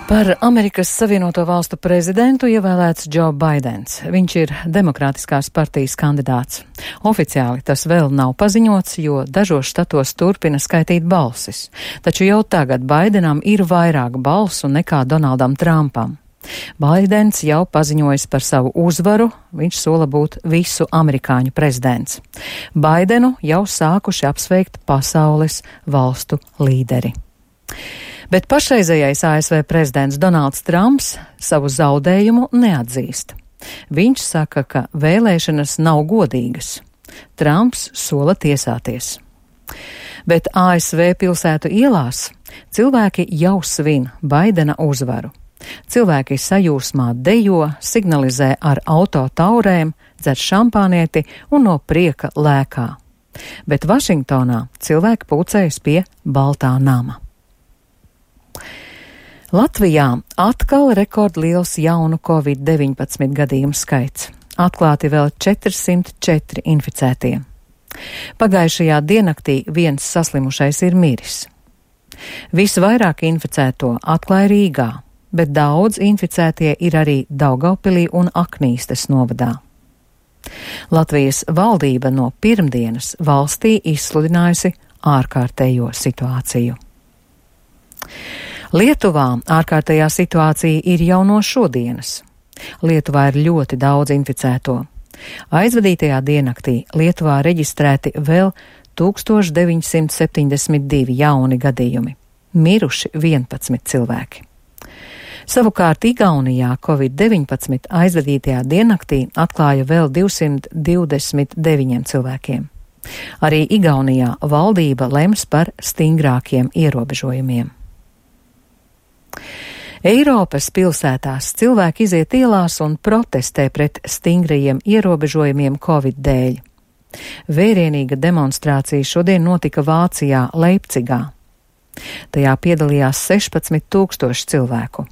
Par Amerikas Savienoto Valstu prezidentu ievēlēts Joe Baidens. Viņš ir Demokrātiskās partijas kandidāts. Oficiāli tas vēl nav paziņots, jo dažos štatos turpina skaitīt balsis. Taču jau tagad Baidenam ir vairāk balsu nekā Donaldam Trumpam. Baidens jau paziņojis par savu uzvaru, viņš sola būt visu amerikāņu prezidents. Baidenu jau sākuši apsveikt pasaules valstu līderi. Bet pašreizējais ASV prezidents Donalds Trumps savu zaudējumu neatzīst. Viņš saka, ka vēlēšanas nav godīgas. Trumps sola tiesāties. Bet ASV pilsētu ielās cilvēki jau svin Baidena uzvaru. Cilvēki sajūsmā dejo, signalizē ar auto taurēm, dzer šampānieti un no prieka lēkā. Bet Vašingtonā cilvēki pulcējas pie Baltā nama. Latvijā atkal rekordliels jaunu Covid-19 gadījumu skaits. Atklāti vēl 404 inficētie. Pagājušajā diennaktī viens saslimušais ir miris. Visvairāk inficēto atklāja Rīgā, bet daudz inficētie ir arī Daugavpilī un Aknīstes novadā. Latvijas valdība no pirmdienas valstī izsludinājusi ārkārtējo situāciju. Lietuvā ārkārtējā situācija ir jau no šodienas. Lietuvā ir ļoti daudz inficēto. Aizvadītajā diennaktī Lietuvā reģistrēti vēl 1972 jauni gadījumi. Miruši 11 cilvēki. Savukārt Igaunijā Covid-19 aizvadītajā diennaktī atklāja vēl 229 cilvēkiem. Arī Igaunijā valdība lems par stingrākiem ierobežojumiem. Eiropas pilsētās cilvēki iziet ielās un protestē pret stingrajiem ierobežojumiem Covid dēļ. Vērienīga demonstrācija šodien notika Vācijā, Leipcigā. Tajā piedalījās 16,000 cilvēku.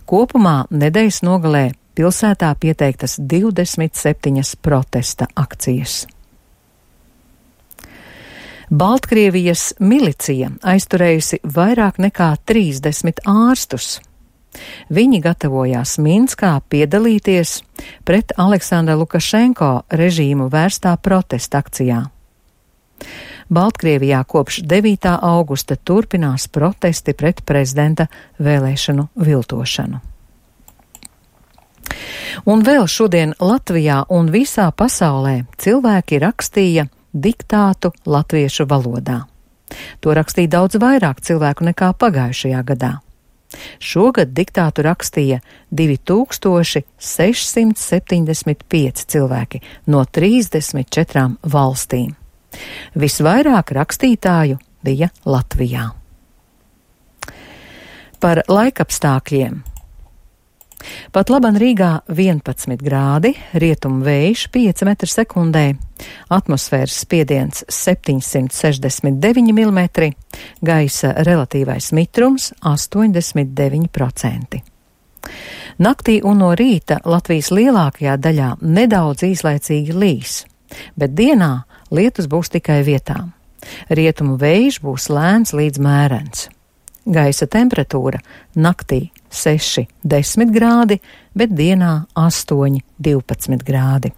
Kopumā nedēļas nogalē pilsētā pieteiktas 27 protesta akcijas. Baltkrievijas milicija aizturējusi vairāk nekā 30 ārstus. Viņi gatavojās Minskā piedalīties pret Aleksandra Lukašenko režīmu vērstā protesta akcijā. Baltkrievijā kopš 9. augusta turpinās protesti pret prezidenta vēlēšanu viltošanu. Un vēl šodien Latvijā un visā pasaulē cilvēki rakstīja diktātu latviešu valodā. To rakstīja daudz vairāk cilvēku nekā pagājušajā gadā. Šogad diktātu rakstīja 2675 cilvēki no 34 valstīm. Visvairāk rakstītāju bija Latvijā. Par laikapstākļiem. Pat laban Rīgā 11 grādi, rietumu vējš 5 metri sekundē, atmosfēras spiediens 769 mm, gaisa relatīvais mitrums 89%. Naktī un no rīta Latvijas lielākajā daļā nedaudz īslaicīgi līs, bet dienā lietus būs tikai vietām. Rietumu vējš būs lēns līdz mērens. Gaisa temperatūra naktī 6-10 grādi, bet dienā 8-12 grādi.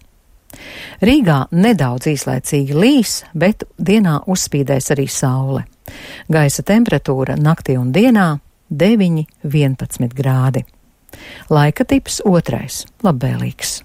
Rīgā nedaudz īslaicīgi līs, bet dienā uzspīdēs arī saule. Gaisa temperatūra naktī un dienā 9-11 grādi. Laika tips 2. labvēlīgs.